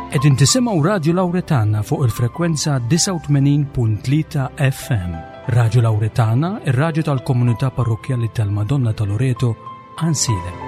Qegħdin tisimgħu Radju Lawretana fuq il-frekwenza 89.3 FM. Radju Lawretana, ir-radju tal-komunità parrokkjali tal-Madonna ta' Loreto, Ansilem.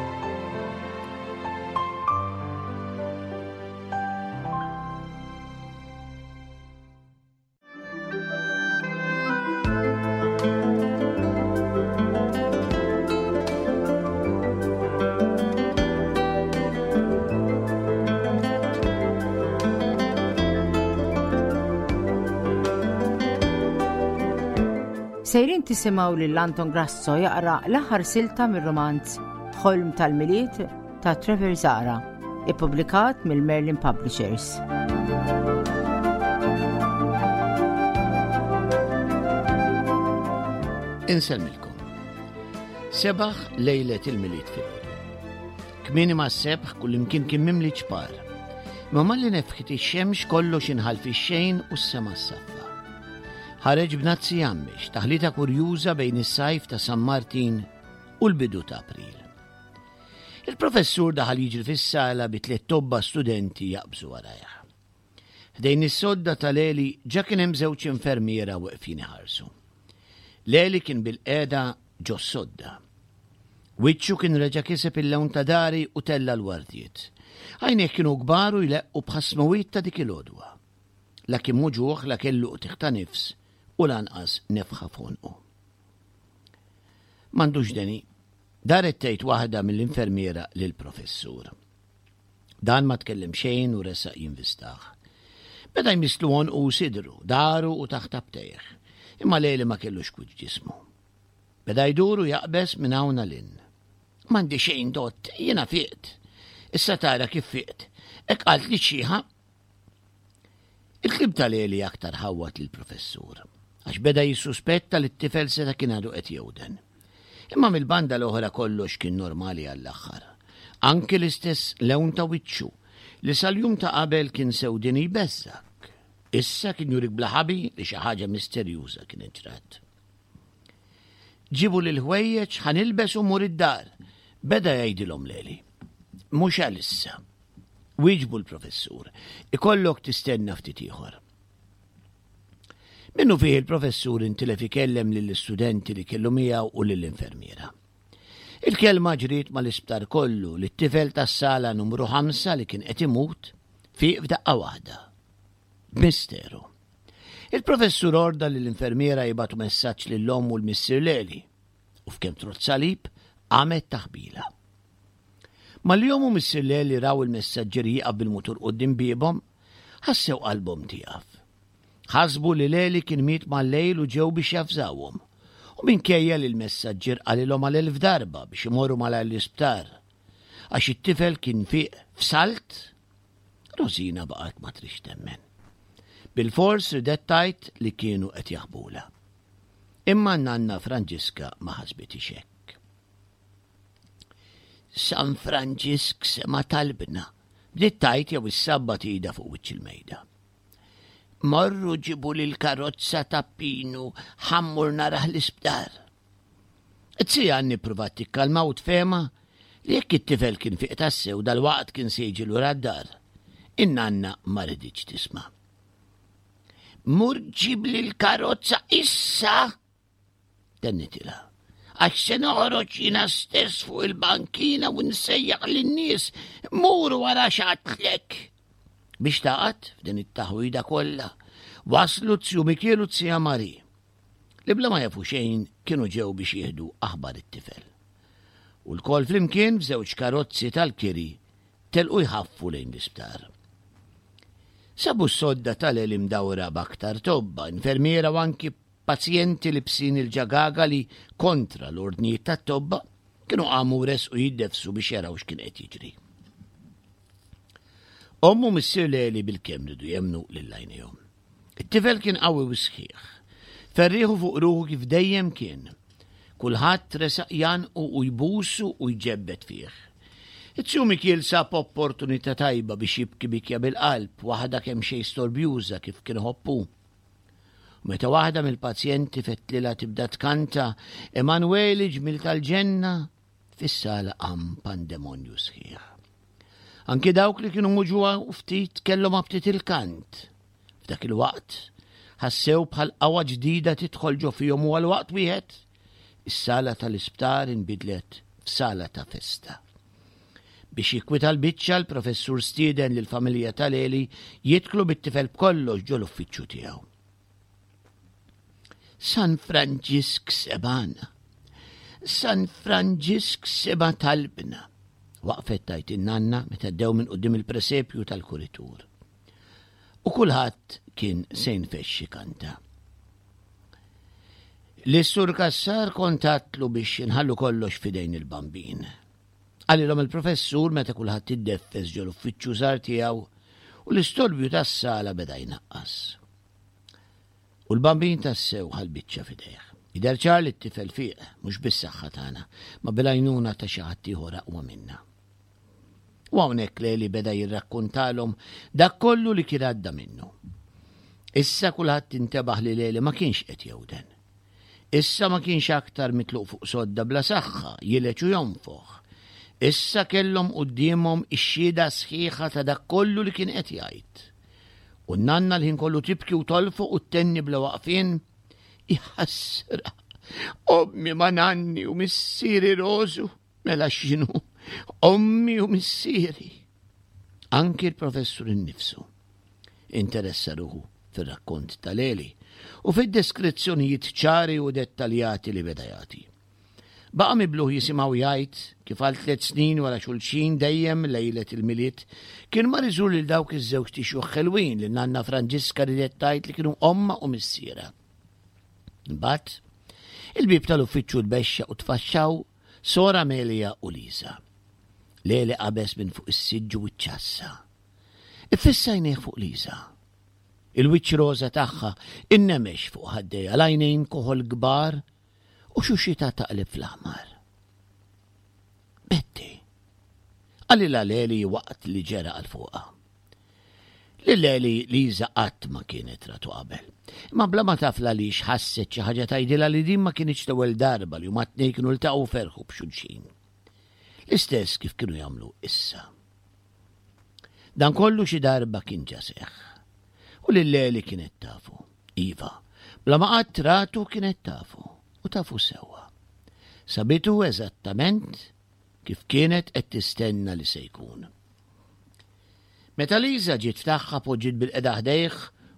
Sejrin tisimgħu lil Anton Grasso jaqra l-aħħar silta mir-romanz Ħolm tal-Milied ta' Trevor Zara, ippubblikat mill-Merlin Publishers. Insellmilkom. Sebaħ lejlet il-Milied filgħodu. Kmieni ma' sebħ kullimkien kien mimli ċpar. Ma malli nefħit ix-xemx kollox inħall fix-xejn u s-sema saffa. Ħareġ b'nazzi jammix, taħlita kurjuża bejn is-sajf ta' San Martin u l-bidu ta' April. Il-professur daħal jiġri fis-sala bi tliet tobba studenti jaqbżu warajh. Ħdejn is-sodda ta' Leli ġa kien hemm żewġ infermiera weqfin iħarsu. Leli kien bil-qiegħda ġo sodda. Wiċċu kien reġa' kiseb il-lewn ta' dari u tella l-wardiet. Għajnejh kienu kbar u jleqqu bħas-smawiet ta' dik il-għodwa. La kien muġugħ, la kellu qtigħ ta' nifs u lanqas nefħa f'għonqu. M'għandux deni, Daret tgħid waħda mill-infermiera lill-professur. Dan ma tkellem xejn u resaq jinvistah. Beda jmisslu għonqu u sidru, daru u taħt abtejh. Imma Leli ma kellux kwiet f'ġismu. Beda jdur u jaqbeż minn hawn għal hinn. M'għandi xejn dott, jiena fiqt. Issa tara kif fiqt. Hekk qaltli x-xiħa. Il-kliem ta' Leli aktar ħawwad lill-professur, għax beda jissuspetta li t-tifel seta' kien għadu qed jewden. Imma mill-banda l-oħra kollox kien normali għall-aħħar. Anki l-istess lewn ta' wiċċu, li sal-jum ta' qabel kien sewdini jbeżżgħek. Issa kien jurik bla ħabi li xi ħaġa misterjuża kienet ġrat. Ġibuli l-ħwejjeġ ħa nilbes u mmur id-dar, beda jgħidilhom Leli. Mhux għalissa. Wieġbu l-professur, ikollok tistenna ftit ieħor. Minnu fih il-professur intilef ikellem lill-istudenti li kellu miegħu u lill-infermiera. Il-kelma ġriet mal-isptar kollu li t-tifel tas-sala numru 5 li kien qed imut fiq f'daqqa waħda. B'misteru. Il-professur orda lill-infermiera jibgħatu messaġġ lill-omm u l-missier Leli u f'kemm trodd salib qamet taħbila. Malli omm u missier Leli raw il-messaġġier jieqaf bil-mutur quddiem biebhom, ħassew qalbhom tieqaf. Ħasbu li Leli kien miet mal-lejl u ġew biex javżawhom. U minkejja li l-messaġġier qalilhom għal elf darba biex imorru malajr l-isptar, għax it-tifel kien fieq f'salt, Rosina baqgħet ma tridx temmen. Bilfors ridet tgħid li kienu qed jaħbulha. Imma n-nanna Franġiska ma ħasbitix hekk. San Franġisk sema' talbna, bdiet tgħid jew issabbat idha fuq wiċċ il-mejda. Morru ġibuli l-karozza ta' Pinu ħa mmur narah l-isptar. It-tija Anni ppruvat tikkalma u tfehmha li jekk it-tifel kien fieq tassew dalwaqt kien se jiġi lura d-dar. In-nanna ma riditx tisma'. Mur ġibli l-karozza issa! Tennitilha. Għax se noħroġ jiena stess fuq il-bankina u nsejjaħ lin-nies mur wara x'għadtlek. Biex taqgħad f'din it-taħwida kollha, waslu t-tju Mikiel u t-tija Mari. li bla ma jafu xejn kienu ġew biex jieħdu aħbar it-tifel. U lkoll flimkien f'żewġ karozzi tal-kiri telqu jħaffu lejn l-isptar. Sabu s-sodda tal-Eli mdawra b'aktar tobba, infermiera u anki pazjenti libsin il-ġagaga li kontra l-ordnijiet tat-tobba kienu qamu u resqu jiddefsu biex jaraw x'kien qed jiġri. Omm u missier Leli bilkemm ridu jemmnu lil għajnejhom. It-tifel kien qawwi u sħiħ. Ferrieħu fuq ruħu kif dejjem kien. Kulħadd resaq jgħannqu u jbusu u jġebbed fih. It-tju Mikiel sab opportunità tajba biex jibki bikja bil-qalb, waħda kemxejn storbjuża kif kien iħobb hu. U meta waħda mill-pazjenti fettlilha tibda tkanta Emanueli ġmiel tal-ġenna, fis-sala qam pandemonju sħiħ. Anki dawk li kienu muġugħa u ftit kellhom aptit il-kant. F'dak il-waqt, ħassew bħal qawwa ġdida tidħol ġo fihom u għal waqt wieħed, is-sala tal-isptar inbidlet f'sala ta' festa. Biex jikkwita l-biċċa, l-professur stieden lill-familja ta' Leli jidħlu bit-tifel b'kollox ġo l-uffiċċju tiegħu. San Franġisk sebana. San Franġisk seba talbna. Waqfet tajt in-nanna meta dew minn qudiem il-presepju tal-kuritur. U kulħadd kien se jinfexxi kanta. L-sur Kassar kontatlu biex inħallu kollox fidejn il-bambin. Qalilhom il-professur meta kulħadd iddeffes ġol uffiċċju żgħar tiegħu u l-istorbju tas-sala beda jnaqqas. U l-bambin tassew ħa l-biċċa f'idejh. Jidher ċar li t-tifel fieq, mhux bis-saħħa tagħna, ma bil-għajnuna ta' xi ħadd ieħor aqwa minna. U hawnhekk Leli beda jirrakkontalhom dak kollu li kien għadda minnu. Issa kulħadd intebaħ li Leli ma kienx qed jewden. Issa ma kienx aktar mitluq fuq sodda bla saħħa, jileġ u jonfoħ. Issa kellhom quddiemhom ix-xhieda sħiħa ta' dak kollu li kien qed jgħid. U n-nanna l-ħin kollu tibki u tolfoq u ttenni bla waqfien, Iħassra, ommi ma nanni u missieri Rożu, mela x'inhu, ommi u missieri. Anki l-professur innifsu interessa ruħu fir-rakkont ta' Leli u fid-deskrizzjonijiet ċari u dettaljati li beda jagħti. Baqa' mibluh jisimgħu jgħid kif għal tliet snin wara xulxin dejjem lejlet il-Milied kien mar iżur lil dawk iż-żewġt ixjuħ ħelwin li nanna Franġiska ridet tgħid li kienu ommha u missierha. Imbagħad, il-bieb tal-uffiċċju tbexxa u tfaxxaw Sor Amelia u Lisa. Leli qabeż minn fuq is-siġġu u ċċassa. Iffissa għajnejh fuq Lisa. Il-wiċċ roża tagħha innemex fuq ħaddejha, l-għajnejn koħol kbar u xuxitha taqleb fl-aħmar. Betty, qalilha Leli waqt li ġera għal fuqha. Lil Leli Liza qatt ma kienet ratu qabel. Imma bla ma taf l-għaliex ħasset xi ħaġa tgħidilha li din ma kinitx l-ewwel darba li huma t-tnejn kienu ltaqgħu u ferħu b'xulxin. L-istess kif kienu jagħmlu issa. Dan kollu xi darba kien ġa seħħ. U lil Leli kienet tafu. Iva, bla ma qatt ratu kienet tafu u tafu sewwa. Sabitu eżattament kif kienet qed tistenna li se jkun. Meta Liza ġiet f'tagħha poġġiet bilqiegħda ħdejh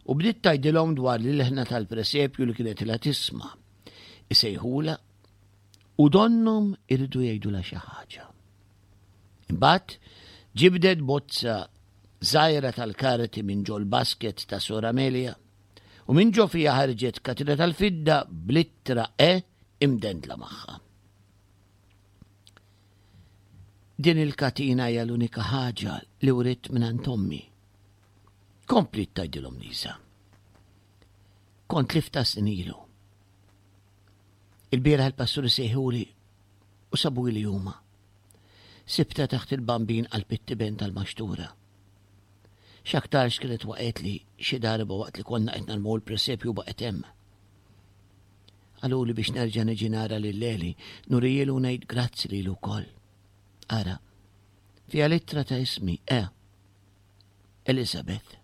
u bdiet tgħidilhom dwar l-ilħna tal-presepju li kienet ilha tisma'. Isejħulha u donnhom iridu jgħidulha xi ħaġa. Imbagħad ġibdet bozza żgħira tal-karti minn ġol-basket ta' Sor Amelia u minn ġo fiha ħarġet katina tal-fidda bl-ittra E imdendla magħha. Din il-katina hija l-unika ħaġa li writt mingħand ommi. Kompliet tgħidilhom Lisa. Kont lifta snin ilu. Il-bieraħ il-pasturi sejħuli u sabu li huma. Sibta taħt il-bambin qalb it-tiben tal-maxtura. X'aktarx kienet waqgħet li xi darba waqt li konna qed narmu l-presepju baqgħet hemm. Qaluli biex nerġa' niġi nara lil Leli, nurijielu u ngħid grazzi lilu wkoll. Ara, fiha l-ittra ta' ismi, E. Elizabeth.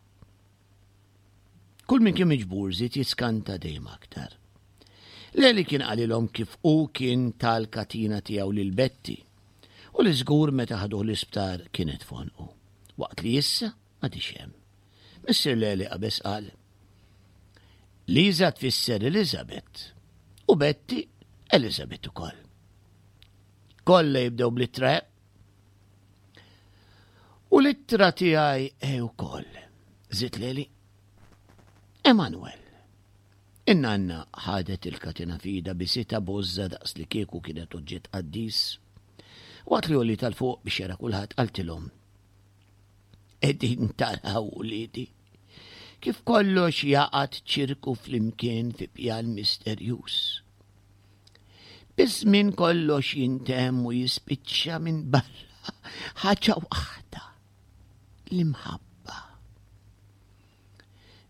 Kull min kien miġbur żied jiskanta dejjem aktar. Leli kien qalilhom kif hu kien tal-katina tiegħu lil Betty u li żgur meta ħaduh l-isptar kienet f'għonqu, waqt li issa m'għadhiex hemm. Missier Leli qabeż qal, Liza tfisser Elizabeth u Betty Elizabeth ukoll. Kollha jibdew bl-ittra E. U l-ittra tiegħi E wkoll. Żied Leli. Emanuel. In-nanna ħadet il-katina f'idha bisitha b'għożża daqs li kieku kienet oġġett qaddis. Waqt li għollietha 'l fuq biex jara kulħadd qaltilhom, Qegħdin taraw uliedi, kif kollox jaqgħad ċirku flimkien fi pjan misterjuż. Biż-żmien kollox jintemm u jispiċċa minn barra ħaġa waħda, l-imħabba.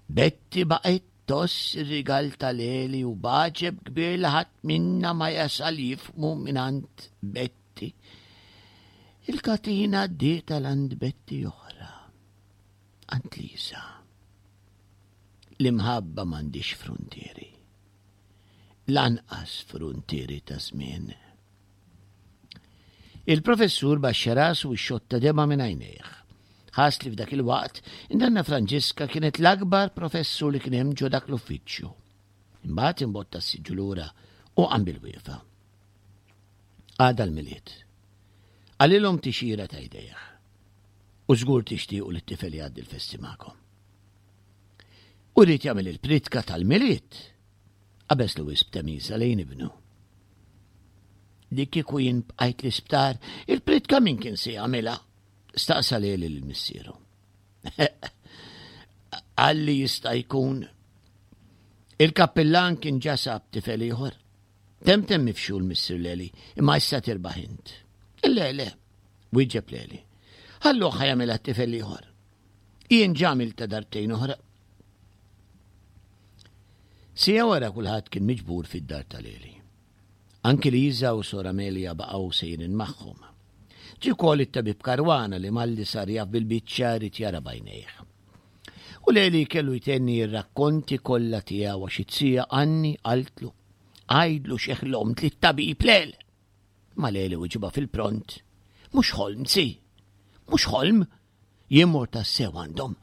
Betty baqgħet toss ir-rigal tal-Eli u b'għaġeb kbir li ħadd minna ma jasal jifhmu mingħand Betty. Il-katina għaddiet għal għand Betti oħra, għand Lisa. L-imħabba m'għandix fruntieri. Lanqas fruntieri ta' żmien. Il-professur baxxa rasu u xotta dema minn għajnejh. Ħass li f'dak il-waqt, in-nanna Franġiska kienet l-akbar professur li kien hemm ġo dak l-uffiċċju. Imbagħad imbotta s-siġġu lura u qam bil-wieqfa. Għada l-Milied. Qalilhom tixira ta' jdejh. U żgur tixtiequ li t-tifel jgħaddi l-festi magħkom. U rrid jagħmel il-pritka tal-Milied. Qabeż Lewis b'temiża lejn ibnu. Li kieku jien bqajt l-isptar, il-pritka min kien se jagħmilha? Staqsa lili lil missieru. Għalli jista' jkun. Il-kappillan kien ġa sab tifel ieħor. Temtem mifxul missier Leli, imma issa tirbaħ int. Le, le, wieġeb Leli. Ħallu ħajamilha tifel ieħor. Jien ġa għamilta darbtejn oħra. Sija wara kulħadd kien miġbur fid-dar ta' Leli. Anki Liza u Sor Amelia baqgħu sejrin magħhom. Ġie wkoll it-tabib Caruana li malli sar jaf bil-biċċa ried jara b'għajnejh. U Leli kellu jtenni r-rakkonti kollha tiegħu għax it-tija Anni qaltlu, Għidlu xi ħlomt lit-tabib Lel! Ma Leli wiġibha fil-pront, Mhux ħolm, zi! Mhux ħolm! Jien mort tassew għandhom.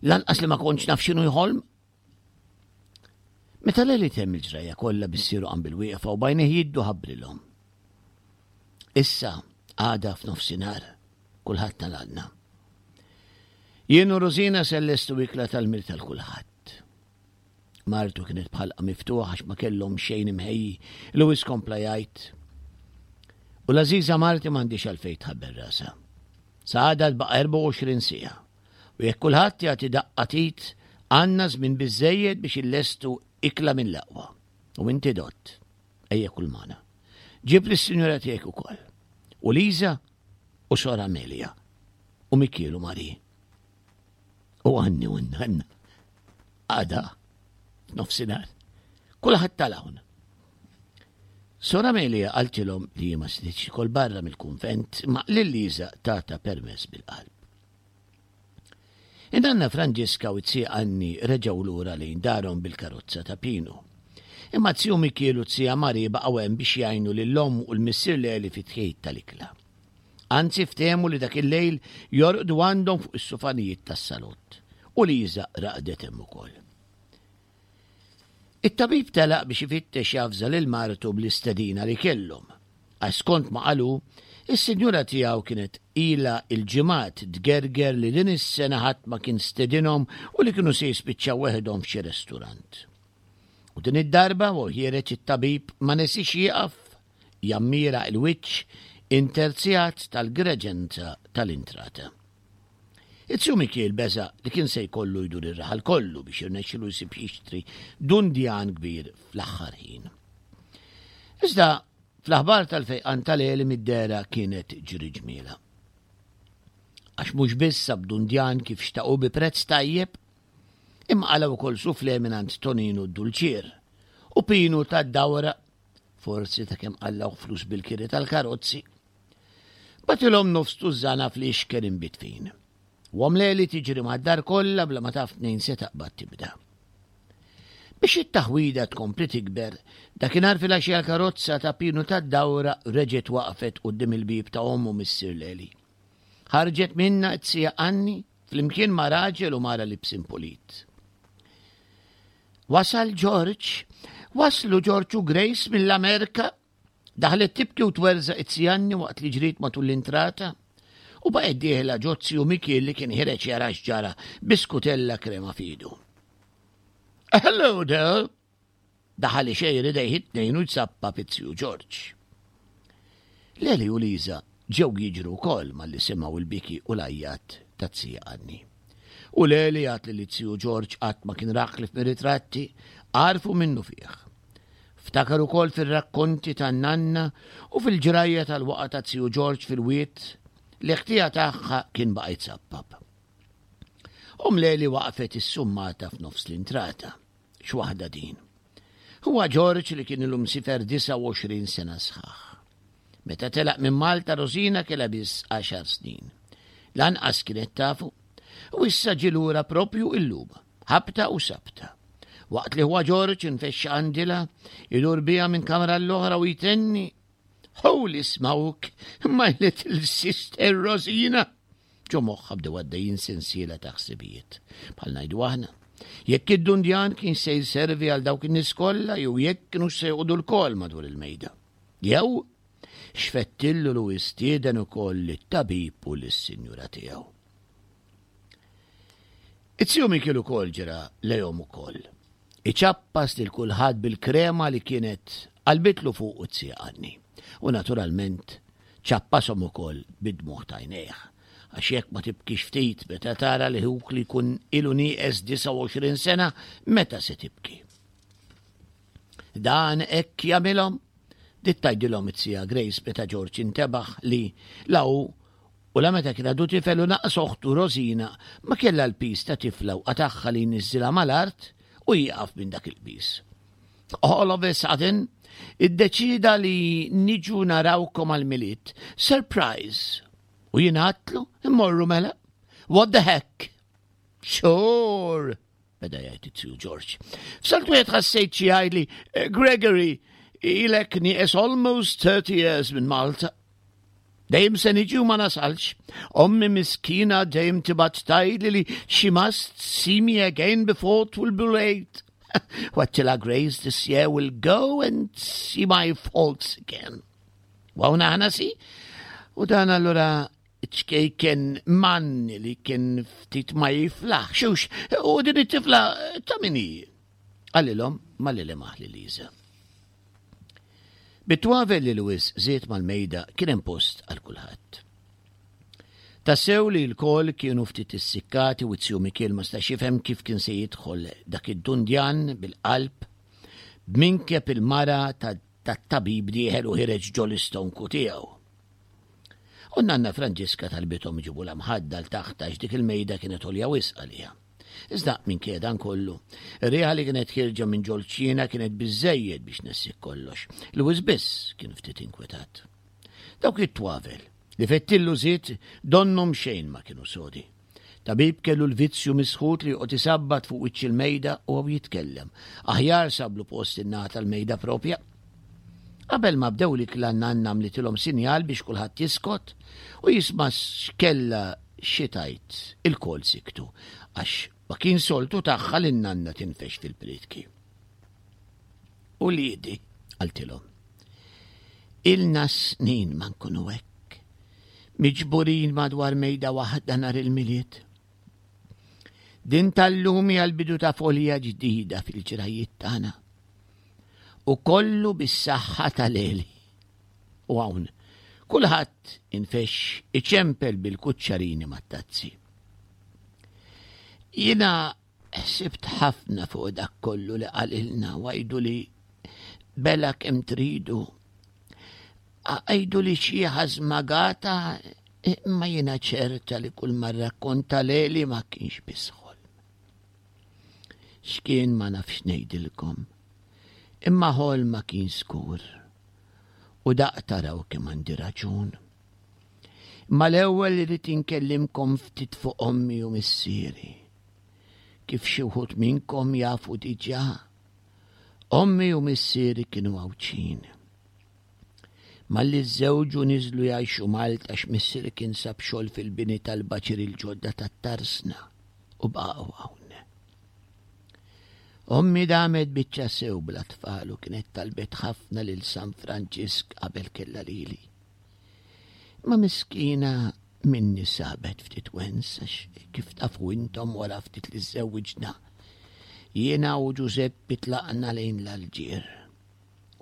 Lanqas li ma kontx naf x'inhu jħolm. Meta Leli temm il-ġrajja kollha missieru qam bil-wieqfa u b'għajnejh jiddu ħabbrilhom. Issa għada f'nofsinhar kulħadd tal-għandna. Jien u Rosina se llestu ikla tal-mir tal-kulħadd. Martu kienet bħalqa miftuħa għax ma kellhom xejn imħejji. Lewis kompla jgħid. U l-għażiża marti m'għandix għalfejn tħabbel rasha. Sa għada tbaqa' 24 siegħa. U jekk kulħadd jagħti daqqa t'id, għandna żmien biżżejjed biex illestu ikla mill-aqwa. U inti dott, ejja kul magħna. Ġib lis-sinjura tiegħek ukoll. U Liza u Sor Amelia. U Mikiel u Marie. U għanni u nanna. Għada, nofsinhar. Kulħadd tal-hawn. Sor Amelia qaltilhom li ma setgħetx kol barra mill-kunvent ma lil Liza tata permess bil-qalb. Inanna Franġiska u t-zija Anni reġgħu lura lejn darhom bil-karozza ta' Pinu. Imma z-ziju Mikiel u t-zija Mari baqgħu hemm biex jgħinu lill-omm u l-missier Leli fit-tħejjid tal-ikla. Anzi ftehmu li dak il-lejl jorqdu għandhom fuq is-sufanijiet tas-salott. U Liża raqdet hemm ukoll. It-tabib telaq biex ifittex javża lil martu bl-istedina li kellhom. Għax skont ma qalu, is-sinjura tiegħu kienet ilha il-ġimgħat tgerger li din is-sena ħadd ma kien stedinhom u li kienu se jispiċċaw weħidhom f'xi resturant. U din id-darba u ħiereġ it-tabib ma nesix jieqaf Jammira l-wiċċ interzjat tal-greġenza tal-intrata. It-Tju Mikiel beża' li kien se jkollu jdur ir-raħal kollu biex jirnexxilu jsib jixtri dundjan kbir fl-aħħar ħin. Iżda fl-aħbar tal-fejqan tal-għeli mid-dehra kienet ġri ġmiela. Għax mhux biss sab dundjan kif xtaqu bi prezz tajjeb, imma qala wkoll sufle mingħand Toninu d-Dulċier u Pinu tad-Dawra forsi ta' kemm qallgħu flus bil-kiri tal-karozzi. Batilhom nofs tużżana fl-ixken imbitfin. U għamleli tiġri mad-dar kollha bla ma taf tnejn se taqbad tibda. Biex it-taħwida tkompli tikber, dakinhar filgħaxija l-karozza ta' Pinu tad-Dawra reġgħet waqfet quddiem il-bieb ta' ommu missier Leli. Ħarġet minnha t-sija Anni flimkien ma' raġel u mara libsin pulit. Wasal George, waslu George u Grace mill-Amerika, daħlet tibki u twerżaq it-sjanni waqt li ġriet matul l-intrata, u baqgħet dieħla ġo ziju Mikiel li kien ħireġ jara x'ġara bi skutella krema f'idu. Hello there! Daħal ixejjer idejh it-tnejn u jzappa fit-ziju George. Leli u Liza ġew jiġru wkoll malli semgħu l-biki u l-għajjat taz-zija Anni. U Leli għad li lit-ziju George qatt ma kien rah ħlief mir-ritratti, għarfu minnufih. Ftakar ukoll fir-rakkonti tan-nanna u fil-ġrajja tal-waqgħa taz-ziju George fil-wied li ħtija tagħha kien baqa' jzappap. Omm Leli waqfet issummata f'nofs l-intrata. X'waħda din. Huwa Ġorġ li kien ilu msifer 29 sena sħaħ. Meta telaq minn Malta Rosina kellha biss għaxar snin. Lanqas kienet tafu. U issa ġie lura propju illum, ħabta u sabta. Waqt li huwa Ġorġ infexxa għandilha, idur biha minn kamra l-oħra u jtenni Holy smoke, my little sister Rosina! Ġo moħħha bdew għaddejjin sensiela ta' ħsibijiet. Bħal ngħidu aħna, jekk id-dundjan kien se jservi għal dawk in-nies kollha jew jekk kienux se joqogħdu lkoll madwar il-mejda. Jew x'fettillu lu jistieden ukoll lit-tabib u lis-sinjura tiegħu. It-tiju Mikiel ukoll ġera lejhom ukoll. Iċappas lil kulħadd bil-krema li kienet qalbitlu fuqu z-zija Anni. U naturalment ċappashom ukoll bid-dmugħ t'għajnejh. Għax jekk ma tibkix ftit meta tara li ħuk li jkun ilu nieqes 29 sena, meta se tibki? Dan hekk jagħmilhom? Bdiet tgħidilhom it-zija Grace meta George intebaħ li la hu u la meta kien għadu tifel u naqas oħtu Rosina ma kellha l-piż ta' tifla u qatagħha li jniżżilha mal-art u jieqaf minn dak il-piż. All of a sudden, iddeċida li niġu narawkom għal-Milied. Surprise! U jien għadtlu, immorru mela. What the heck? Sure! Beda jgħid it-tiju George. F'salt wieħed ħassejt xi jgħidli, eh, Gregory, ilek nieqes almost 30 years minn Malta. Dejjem se niġi u ma nasalx. Ommi miskina dejjem tibgħat tgħidli li she must see me again before it will be late. What till I grace this year will go and see my faults again. Waw naħna si? U dan allura ċkejken manni li kien ftit ma jiflaħx, hux, u din it-tifla ta' min hi? Qalilhom malli lemaħ lil Liża. Bit-twavel li Louis żied mal-mejda kien hemm post għal kulħadd. Tassew li l-kol kienu ftit issikkati u t-tiju Mikiel ma stax jifhem kif kien se jidħol dak id-dundjan bil-qalb b'minkeb il-mara tat-tabib dieħel u ħireġ ġol-istonku tiegħu. U n-nanna Franġiska talbithom iġibulha mħadda 'l taħt għax dik il-mejda kienet għolja wisq għaliha. Iżda minkejja dan kollu, ir-riħa li kienet ħierġa minn ġol-kċina kienet biżżejjed biex tnessik kollox. Lewis biss kien ftit inkwetat. Dawk it-twavel li fettillu żied donnhom xejn ma kienu sodi. Tabib kellu l-vizzju misħut li joqgħod isabbat fuq wiċċ il-mejda u hawn jitkellem. Aħjar sablu post in-naħa tal-mejda propja. Qabel ma bdew l-ikla n-nanna għamlitilhom sinjal biex kulħadd jiskot u jisma' x'kellha xi tgħid. Ilkoll siktu għax ma kien soltu tagħha li n-nanna tinfex fil-prietki. Uliedi, qaltilhom, ilna snin ma nkunu hekk, miġburin madwar mejda waħda nhar il-Milied. Din tal-lum hija l-bidu ta' folja ġdida fil-ġrajiet tagħna. U kollu bis-saħħa tal-Eli. U hawn, kulħadd infexx iċempel bil-kuċċarini mat-tazzi. Jiena ħsibt ħafna fuq dak kollu li qalilna u għidu li bela kemm tridu. Għidu li xi ħażmagata imma jiena ċerta li kull ma rrakkonta leli ma kienx biss ħolm. X'kien ma nafx ngħidilkom. Imma ħolm ma kien skur. U daq taraw kemm għandi raġun. Imma l-ewwel irrid inkellimkom ftit fuq ommi u missieri. Kif xi wħud minnkom jafu diġà, ommi u missieri kienu Għawdxin. Malli żżewġu niżlu jgħixu Malta għax missieri kien sab xogħol fil-bini tal-baċiri l-ġodda tat-Tarsna u baqgħu hawn. Ommi damet biċċa sew bla tfal u kienet talbet ħafna lil San Franġisk qabel kellha lili. Imma miskina minni sabet ftit wens għax kif tafu intom wara ftit li żżewwiġna jiena u Ġużeppi tlaqna lejn l-Alġier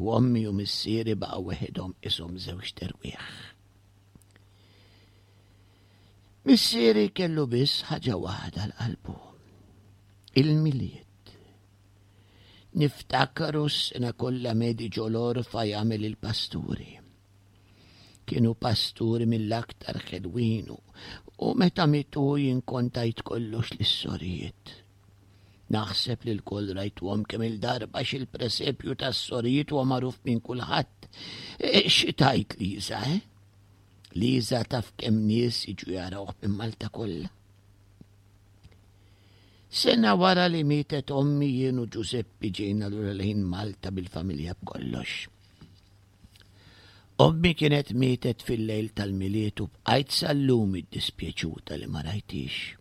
u ommi u missieri baqgħu weħidhom qishom żewġt erwieħ. Missieri kellu biss ħaġa waħda l-qalbu, il-Milied. Niftakru s-sena kollha medi ġol-orfa jagħmel il-pasturi. Kienu pasturi mill-aktar ħelwin u meta mitu jien kont għidt kollox lis-sorijiet. Naħseb li lkoll rajtuhom kemm il-darba għax il-presepju tas-sorijiet huwa magħruf minn kulħadd. E, xi tgħid Liża, eh? Liża taf kemm nies jiġu jarawh minn Malta kollha. Sena wara li mietet ommi jien u Ġużeppi ġejna lura lejn Malta bil-familja b'kollox. Ommi kienet mietet fil-lejl tal-Milied u bqajt sal-lum iddispjaċuta li ma rajtix.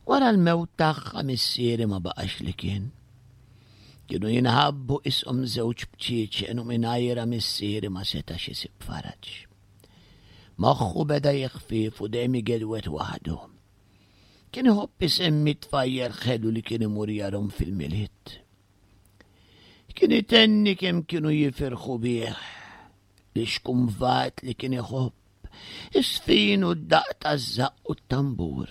Wara l-mewt tagħha missieri ma baqax li kien. Kienu jinħabbu ishom żewġ bċieċen u mingħajra missieri ma setax isib faraġ. Moħħu beda jeħfief u dejjem igedwet waħdu. Kien iħobb isemmi tfajjel ħelu li kien imur jarhom fil-Milied. Kien itenni kemm kienu jifirħu bih li xkumvat li kien iħobb, is-sfin u d-daqq taż-żaqq u t-tambur.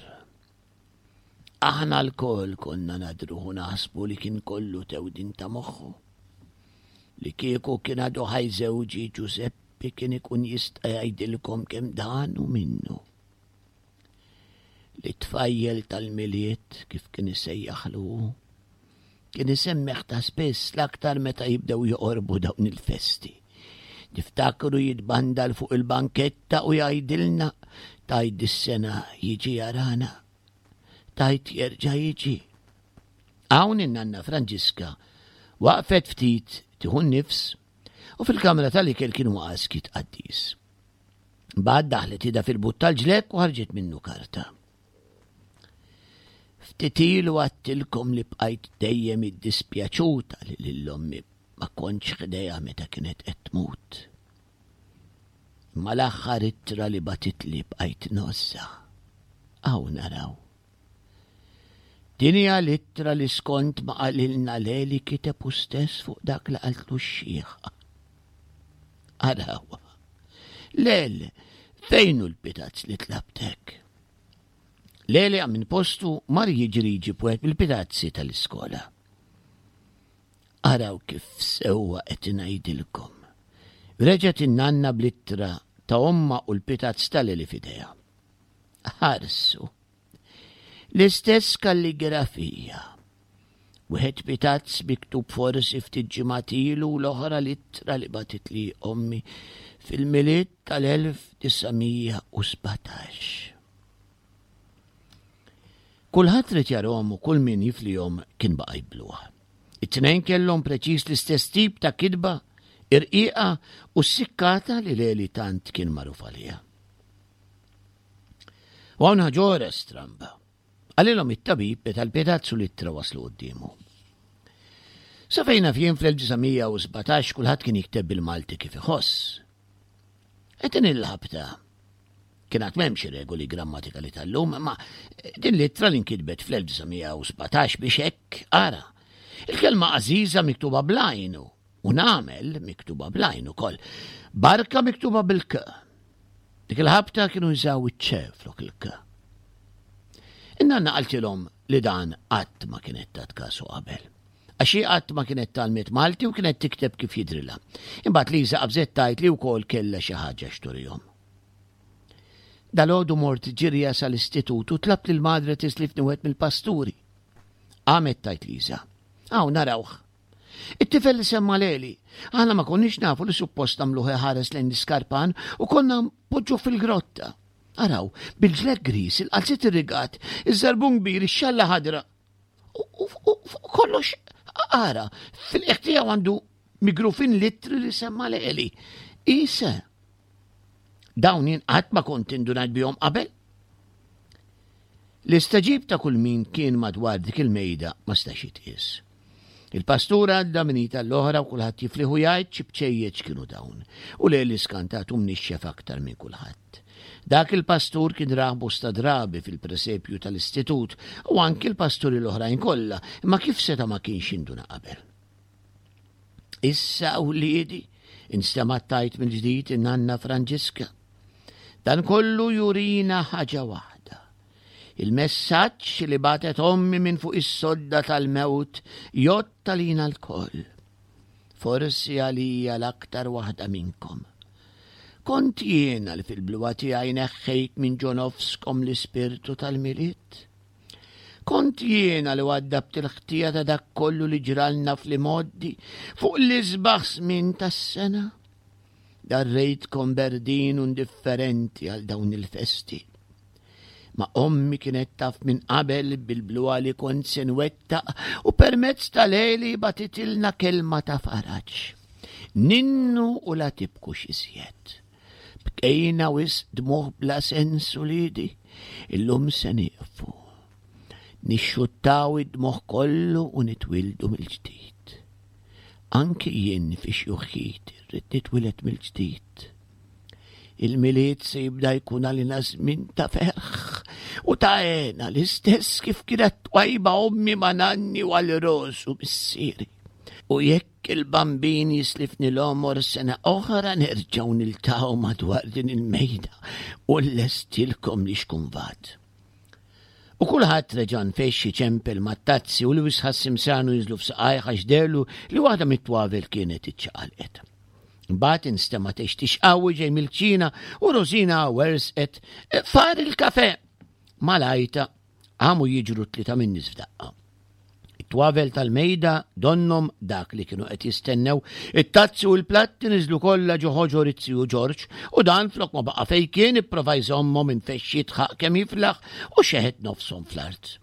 Aħna lkoll konna nadruh u naħsbu li kien kollu tewdin ta' moħħu. Li kieku kien għadu ħaj żewġi Ġużeppi kien ikun jista' jgħidilkom kemm dan hu minnu. Li tfajjel tal-Milied kif kien isejjaħlu hu, kien isemmih ta' spiss l-aktar meta jibdew joqorbu dawn il-festi. Niftakru jitbandal fuq il-banketta u jgħidilna tgħid is-sena jiġi jarana, tgħid jerġa' jiġi. Hawn in-nanna Franġiska waqfet ftit tieħu n-nifs u fil-kamra tal-ikel kien waqa' skiet qaddis. Mbagħad daħlet idha fil-but tal-ġlekk u ħarġet minnu karta. Ftit ilu għadtilkom li bqajt dejjem iddispjaċuta li lil ommi ma kontx ħdejha meta kienet qed tmut. Imma l-aħħar ittra li bagħtitli bqajt ngħożżha. Hawn naraw. Din hija l-ittra li skont ma qalilna Leli kiteb hu stess fuq dak li qaltlu x-xiħa. Arawha. Lel, fejn hu l-pitazz li tlabtek? Leli qam minn postu mar jiġri jġib wieħed mill-pitazzi tal-iskola. Araw kif sewwa qed ngħidilkom. Reġgħet in-nanna bl-ittra ta' ommha u l-pitazz ta' Leli f'idejha. Ħarsu. L-istess kalligrafija. Wieħed pitazz miktub forsi ftit ġimgħat ilu u l-oħra l-ittra li bagħtitli ommi fil-Milied tal-1917. Kulħadd ried jarahom u kull min jiflihom kien baqa' jbluh. It-tnejn kellhom preċiż l-istess tip ta' kitba, irqiqa u ssikkata li Leli tant kien magħruf għaliha. U hawn ħaġa oħra stramba. Qalilhom it-tabib meta l-pitazz u l-ittra waslu quddiemu. Sa fejn naf jien fl-1917 kulħadd kien jikteb bil-Malti kif iħoss. Qed din il-ħabta kien għad m'hemmx regoli grammatikali tal-lum, imma din l-ittra li nkitbet fl-1917 biex hekk ara. Il-kelma għażiża miktuba bl-għajn u nagħmel miktuba bl-għajn ukoll. Barka miktuba bil-k. Dik il-ħabta kienu jużaw iċ-ċe flok il-k. In-nanna qaltilhom li dan qatt ma kienet tat kasu qabel. Għax hi qatt ma kienet tgħallmet Malti u kienet tikteb kif jidhrilha. Imbagħad Liża qabżet tgħid li wkoll kellha xi ħaġa x'turihom. Dalgħodu mort ġirja sal-istitut u tlabt lil madre tislifni wieħed mill-pasturi. Qamet tgħid Liża. Hawn narawh. It-tifel li semma Leli. Aħna ma konniex nafu li suppost nagħmluh iħares lejn l-iskarpan u konna npoġġuh fil-grotta. Araw, bil-ġlek gris, il-qalziet irrigat, iż-żarbun kbir, ix-xalla ħadra. U kollox ara, fil-qiegħ tiegħu għandu migrufin litri li semma Leli. Isa. Dawn jien qatt ma kont indunajt bihom qabel. L-istaġib ta' kull min kien madwar dik il-mejda ma stax jitqies. Il-pastur għadda minn id għall-oħra u kulħadd jifliħ u jgħid xi bċejjeċ kienu dawn. U Leli skantat u mnixxef aktar minn kulħadd. Dak il-pastur kien rah bosta drabi fil-presepju tal-istitut u anki l-pasturi l-oħrajn kollha, imma kif seta' ma kienx induna qabel. Issa wliedi, instemgħet tgħid mill-ġdid in-nanna Franġiska. Dan kollu jurina ħaġa waħda. Il-messaġġ li bagħtet ommi minn fuq is-sodda tal-mewt jgħodd għalina lkoll. Forsi għalija l-aktar waħda minnkom. Kont jiena li fil-bluha tiegħi neħħejt minn ġo nofskom l-ispirtu tal-Milied. Kont jiena li waddabt il-ħtija ta' dak kollu li ġralna fl-imgħoddi fuq l-isbaħ żmien tas-sena. Darrejtkom berdin u indifferenti għal dawn il-festi. Ma ommi kienet taf minn qabel bil-bluha li kont se nwettaq u permezz ta' Leli batitilna kelma ta' faraġ. Ninnu u la tibkux iżjed. Bkejna wisq dmugħ bla sens uliedi, illum se nieqfu. Nixxuttaw id-dmugħ kollu u nitwieldu mill-ġdid. Anki jien fi xjuħiti rrid nitwieled mill-ġdid. Il-Milied se jibda jkun għalina żmien ta' ferħ u ta' hena l-istess kif kienet twajba ommi ma' nanni u għal Rosu missieri. U jekk il-Bambin jislifni l-għomor sena oħra nerġgħu niltaqgħu madwar din il-mejda u nlestilkom li xkunvat. U kulħadd reġa' nfexx iċempel mat-tazzi u Lewis ħass imsanu jinżlu f'saqajh għax dehlu li waħda mit-twavel kienet iċċaqalqet. Imbagħad instema' textix qawwi ġej mill-kċina u Rosina wersqet far il-kafe. Malajta Qamu jiġru t-tlieta min-nies f'daqqa. It-twavel tal-mejda donnhom dak li kienu qed jistennew, it-tazzi u l-platti niżlu kollha ġo ħoġor it-ziju Ġorġ u dan flok ma baqa' fejn kien ipprova jżommhom infexx jidħaq kemm jiflaħ u xeħet nofshom fl-art.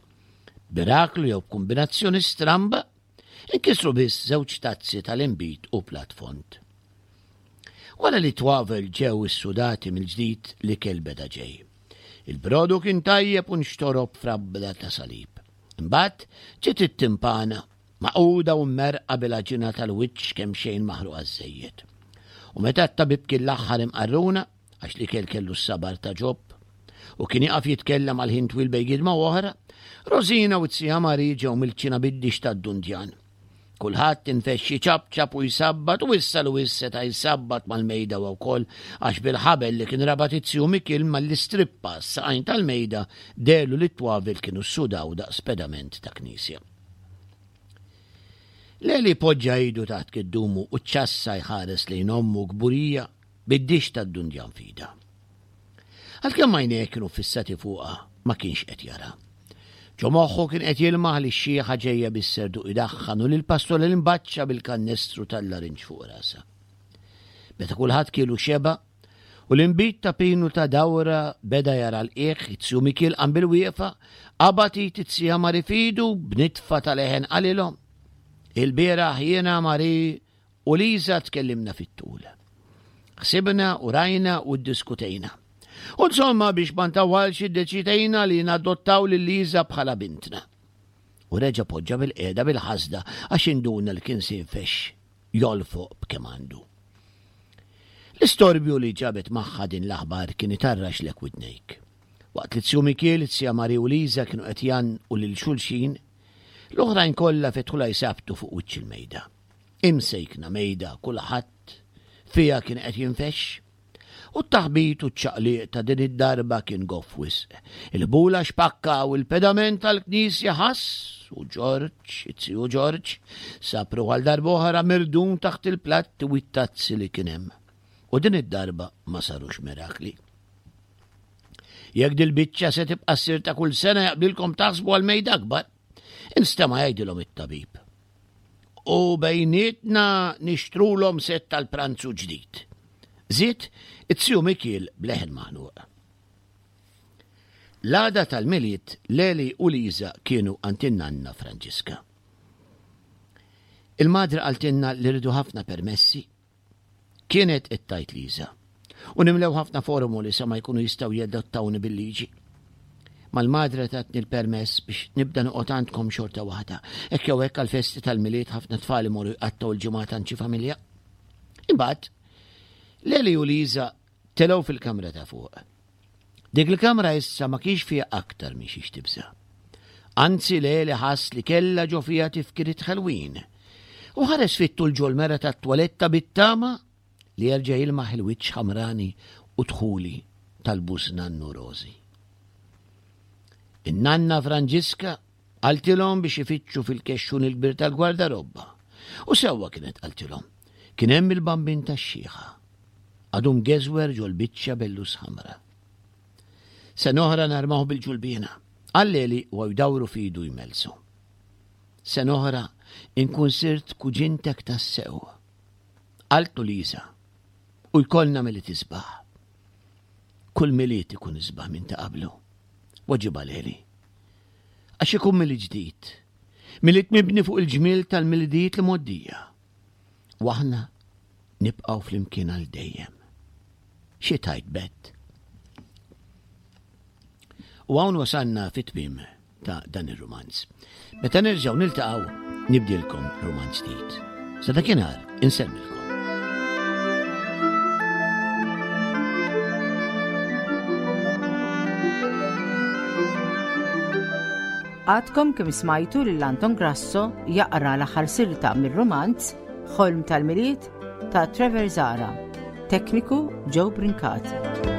B'miraklu jew b'kumbinazzjoni stramba, Inkisru biss żewġ tazzi tal-inbid u platt fond. Wara li t-twavel ġew issudati mill-ġdid l-ikel beda ġej. Il-brodu kien tajjeb u nxtorob f'rabla ta' salib. Imbagħad ġiet it-timpana, magħquda u mmerrqa bil-għaġina tal-wiċċ kemxejn maħruqa żżejjed. U meta t-tabib kien l-aħħar imqarruna, għax l-ikel kellu s-sabar ta' Ġob, u kien jaqaf jitkellem għal ħin twil bejn gidma u oħra, Rosina u t-sija Mari ġew mill-kċina bid-dix tad-dundjan. Kulħadd infexx iċapċap u jsabbat u issa Luis seta' jsabbat mal-mejda huwa wkoll għax bil-ħabel li kien rabat it-tiju Mikiel malli strippa s-saqajn tal-mejda dehlu li t-twavel kienu ssudaw daqs pedament ta' knisja. Leli poġġa idu taħt kiddumu u ċċassa jħares lejn ommu kburija bid-dixx tad-dundjan f'idha. Għalkemm għajnejh kienu ffissati fuqha, ma kienx qed jara. Ġo moħħu kien qed jilmaħ lix-xiħa ġejja bis-serduq idaħħan u lill-pastor l-imbaċċa bil-kannestru tal-larinġ fuq rasha. Meta kulħadd kielu xeba' u l-inbid ta' Pinu ta' dawra beda jara l-qiegħ, it-tiju Mikiel qam bil-wieqfa, qabad id it-tija Mari f'idu, b'nitfa ta' leħen qalilhom, Il-bieraħ jiena, Mari, U Liza tkellimna fit-tul. Ħsibna u rajna u ddiskutejna. U insomma biex ma ntawwalx iddeċidejna li nadottaw lil Liza bħala bintna. U reġa' poġġa bil-qiegħda bil-ħasda għax induna li kien se jinfexx jolfoq b'kemm għandu. L-istorbju li ġabet magħha din l-aħbar kien itarraxlek widnejk. Waqt li Zju Mikiel, Zja Mari u Liza kienu qed jgħannqu lil xulxin, l-oħrajn kollha fetħulha jsabtu fuq wiċċ il-mejda. Imsejkna mejda kulħadd fiha kien qed jinfexx. U t-taħbit u ċ-ċaqliq ta' din id-darba kien goff wisq. Il-ħbula xpakka u l-pedament tal-knisja ħass u Ġorġ, it-ziju Ġorġ, sab ruħu għal darb'oħra mirdum taħt il-platti u t-tazzi li kien hemm. U din id-darba ma sarux mirakli. Jekk dil-biċċa se tibqa' ssir ta' kull sena jaqblilkom taħsbu għal mejda akbar. Instema' jgħidilhom it-tabib. U bejnietna nixtrulhom sett tal-pranzu ġdid. Żied it-ziju Mikiel b'leħen maħnuq. L-għada tal-Milied Leli u Liza kienu għand in-nanna Franġiska. Il-madre qaltilna li rridu ħafna permessi Kienet qed tgħid Liza. U nimlew ħafna formoli sa ma jkunu jistgħu jadottawni bil-liġi. Mal-madre tatni l-permess biex nibda noqgħod għandkom xorta waħda. Hekk jew hekk għall-festi tal-Milied ħafna tfal imorru jqattgħu l-ġimgħat għand xi familja. Imbagħad, Leli u Liza telgħu fil-kamra ta' fuq. Dik il-kamra issa ma kienx fiha aktar minn xiex tibża'. Anzi Leli ħass li kellha ġo fiha tifkiriet ħelwin. U ħares fit-tul ġol-mera tat-twaletta bit-tama li jerġa' jilmaħ il-wiċċ ħamrani u dħuli tal-bużnannu Rożi. In-nanna Franġiska qaltilhom biex ifittxu fil-kexxun il-kbir tal-gwardarobba. U sewwa kienet qaltilhom. Kien hemm il-bambin tax-xiħa. Għadu mgeżwer ġol-biċċa bellus ħamra. Sena oħra narmaw bil-ġulbiena. Qal Leli u jdawru f'idu jmellsu. Sena oħra inkun sirt kuġintek tassew. Qaltlu Lisa, u jkollna Milied isbaħ. Kull Milied ikun isbaħ minn ta' qablu. Weġibha Leli. Għax ikun Milied ġdid. Milied mibni fuq il-ġmiel tal-Milidijiet li mgħoddija. U aħna nibqgħu flimkien għal dejjem. Xi tgħid Bet? U hawn wasalna fit-tmiem ta' dan ir-rumanz. Meta nerġgħu niltaqgħu nibdilkom rumanz ġdid. Sa dakinhar insellmilkom. Għadkom kemm smajtu lil Anton Grasso jaqra l-aħħar silta mir-rumanz Ħolm tal-Milied ta' Trevor Zara. Tekniku Joe Brincat.